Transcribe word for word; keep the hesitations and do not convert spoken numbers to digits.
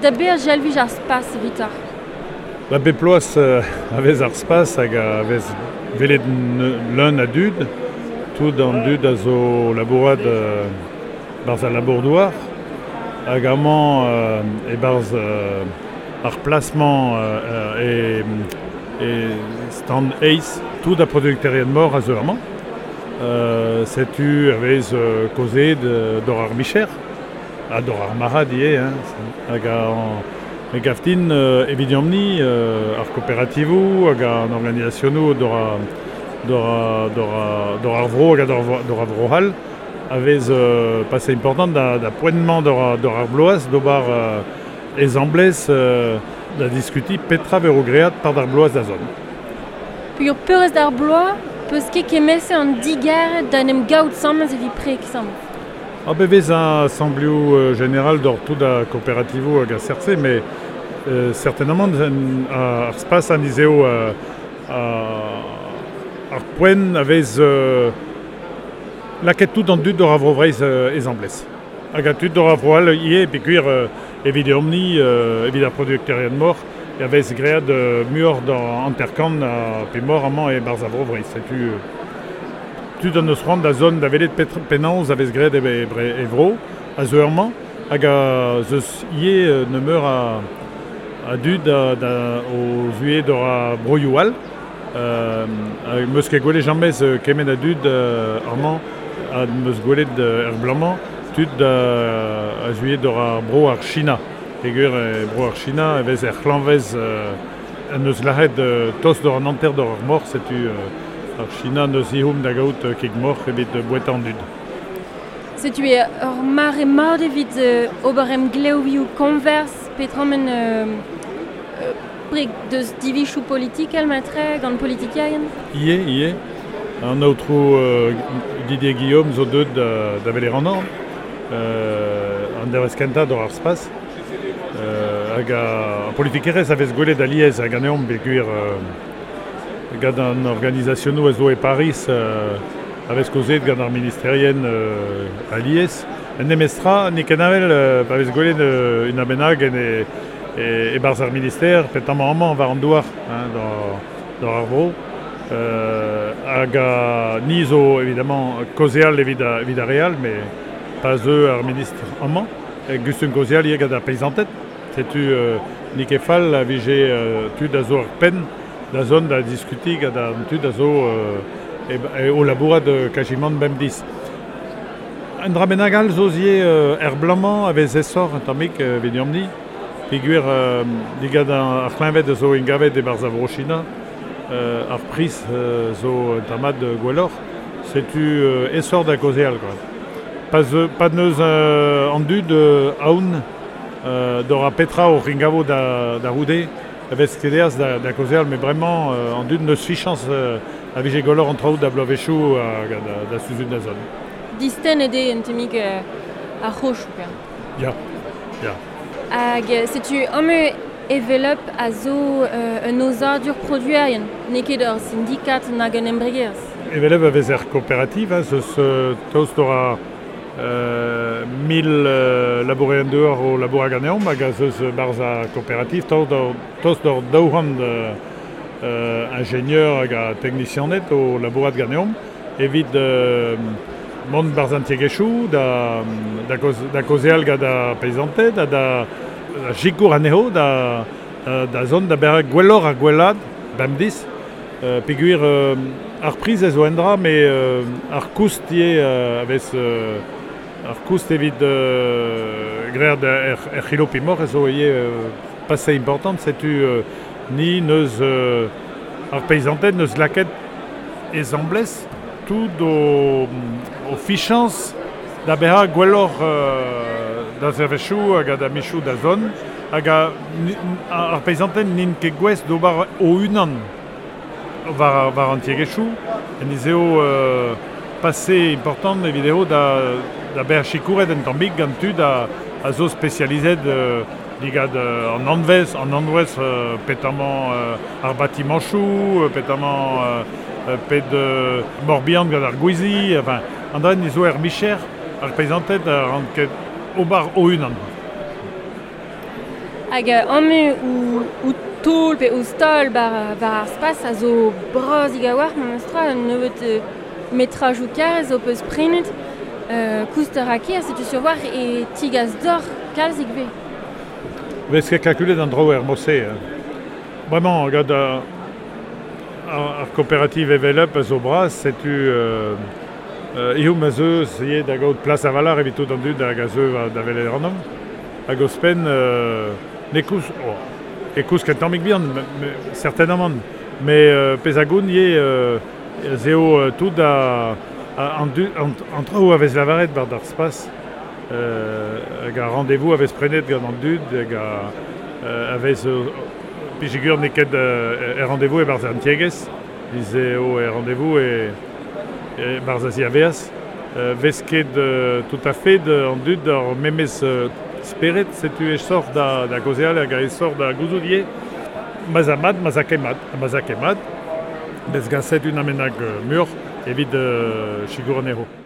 Da ber jalvij ar spas evitoc'h? Ba bep bloaz euh, a vez ar spas hag a vez velet leun a dud, tout an dud a zo labourat euh, barz al labour-douar, hag amañ euh, e barz euh, ar plasman euh, e, e stand eiz, tout a producterien mor a zo amañ. Euh, setu a vez euh, kozet euh, d'or ar micher, ha d'or ar marad ivez, hein, hag an e gaftin euh, evidiomni euh, ar kooperativoù hag an organizasionoù d'or a, d'or a, d'or a, d'or ar vro hag a d'or, d'or ar vro hall a vez euh, passé important da, da poentement d'or, a, d'or ar bloaz d'ober euh, ezamblez euh, da diskuti petra vero great par d'ar bloaz da zon. Peogwir peurrest d'ar bloaz, peus ket kemese an digarez da en em gaout samez evit prek samez. Ah be vez un assemblioù euh, général d'or tout a kooperativoù hag a sertse, mais euh, certainement an, ar spas an izeo euh, a, ar poent a vez euh, laket tout an dud d'or a vro vreiz euh, ezamblez. Hag a tud d'or a vro all ivez peogwir euh, evit omni, euh, evit ar producterien mor, e a vez great euh, muioc'h d'an hanter-kant a pe mor amañ e barz a vro vreiz. Setu euh, tud an eus c'hoant da zon da welet petr penaos a vez graet e, e, e vro, a zo ur-mañ, hag a zeus ivez euh, nemeur a, a dud da, da, o zuie d'or a broioù all. Euh, hag meus ket gwelet jamez euh, kement a dud euh, amañ, ha meus gwelet euh, er bloaz-mañ, tud da, a zuie d'or ar bro ar China. Peogwir e bro ar China e vez er c'hlañvez euh, an eus lâret euh, tost d'or an hanter d'or ar mor, setu euh, ar China neus ihoum da gaout euh, kig mor evit euh, boueta an dud. Setu e ur mare mat evit euh, ober em glevioù konvers petramen euh, euh, prek deus divichoù politikel matre gant politikerien? Ie, ie. An aotrou euh, Didier Guillaume zo deut da, da welet an orn, euh, an dervez kentañ d'or ar spas. Euh, hag a, a politikerez a vez gwelet aliez hag ganeomp peogwir euh, gant an organizasionoù a zo e Paris euh, a vez kozet gant ar ministerien euh, aliez. En nemestra, n'eo ket avel euh, pa vez gwelet euh, un abenag en e, e, e barz ar minister, petamant amañ war an douar, hein, d'or, d'or ar vro. Euh, hag a ni zo évidemment kaozeal evit a, evit ar re all, mais pas eux ar ministr amañ. E gustum kaozeal ivez gant ar peizanted. Setu euh, n'eo ket fall a vije euh, tud a zo ar penn da zon da diskuti gant an tud a zo euh, e, e, o labourat euh, kajimant bemdez. Un dra bennak all zo ivez euh, er bloaz-mañ a vez esor un tammig euh, evit omni. Peogwir euh, digant ar c'hleñved a zo ingavet e barz a vro China, euh, ar priz euh, zo un tammad gwelloc'h. Setu euh, esor da kaozeal, quoi. Pa, ze, pa neus euh, an dud euh, aoun euh, d'or a petra o ringavo da, da roude, a vez kedeaz da, da kaozeal, mais vraiment euh, an dud neus fichans euh, a vije gwelloc'h an traoù da bloavezhioù hag da, da suzun da zon. Disten eo un tammig euh, ar c'hochoù, quoi. Ya, ya. Hag euh, setu amañ Evel'Up a zo euh, un aozadur produerien, n'eo ket ur syndikat nag un embregerezh. Evel'Up a vez er kooperativ, hein, zeus euh, tost d'or a euh, mil euh, labourerien dehors o labour ganeomp hag a zeus barz a kooperativ, tost d'or, tost d'or daou-c'hant euh, euh, ingénieur hag a teknisianed o labourat ganeomp, evit euh, mont barz an tiegezhioù, da, da, koz, da kaozeal gant ar peizanted, ha da, da sikour anezho, da, da, da zont da bezañ gwelloc'h ar gwellad, bemdez. Euh, peogwir euh, ar priz a zo un dra, mais euh, ar koust ivez euh, a vez euh, ar koust evit euh, graet er, er c'hilo pimor a zo ivez euh, passé important, setu euh, ni neus euh, ar peizanted neus laket ezamblez tout o, o fichans da bezañ gwelloc'h euh, da zervezhioù hag da michoù da zon, hag a, ni, ar peizanted n'int ket gouest d'ober o-unan war, war an tiegezhioù, en ez eo euh, passé important evit eo da, da bezañ sikouret un tammig gant tud a, a zo spesializet euh, digant euh, an anvez, an anvez euh, petamant euh, ar batimanchoù, euh, petamant euh, pet euh, morbihan gant ar gwizi, enfin, an dra ni zo er micher ar peizanted a ran ket ober o-unan. Hag amu ou, ou tol pe ou stol bar, bar ar spas a zo bras igawar memestra un nebeut euh, metraj ou kar zo peus prenet euh, koust ar a setu sur war e tigaz d'or kalz ve. Vez ket kalkulet an draoù er mose. Hein. Vraiment, gant ar, ar kooperativ evel up a zo bras, setu euh, euh, ihom a zeu se da gaout plas a valar evit tout an dud hag a zeu da velet an om. Hag ospen, euh, ne kouz, oh, e kouz ket tammig bihan, certainement, mais euh, pez a goun ye euh, zeo euh, tout a, a, an, du, an, an traoù a vez lavaret bar d'ar spas, euh, hag a rendez-vous a vez prenet gant an dud, hag a, euh, a vez euh, pijigur n'eo ket euh, e rendez-vous e barz an tiegez, eo e rendez-vous e, e barz a ziaveaz, euh, vez ket euh, tout à fait de, an dud ar memez euh, speret, setu e sort da, da gozeal hag a e sort da gouzout ye, maz a mat, maz a ket mat, maz a ket mat, bez gaset un amenag mur evit euh, sigur anezho.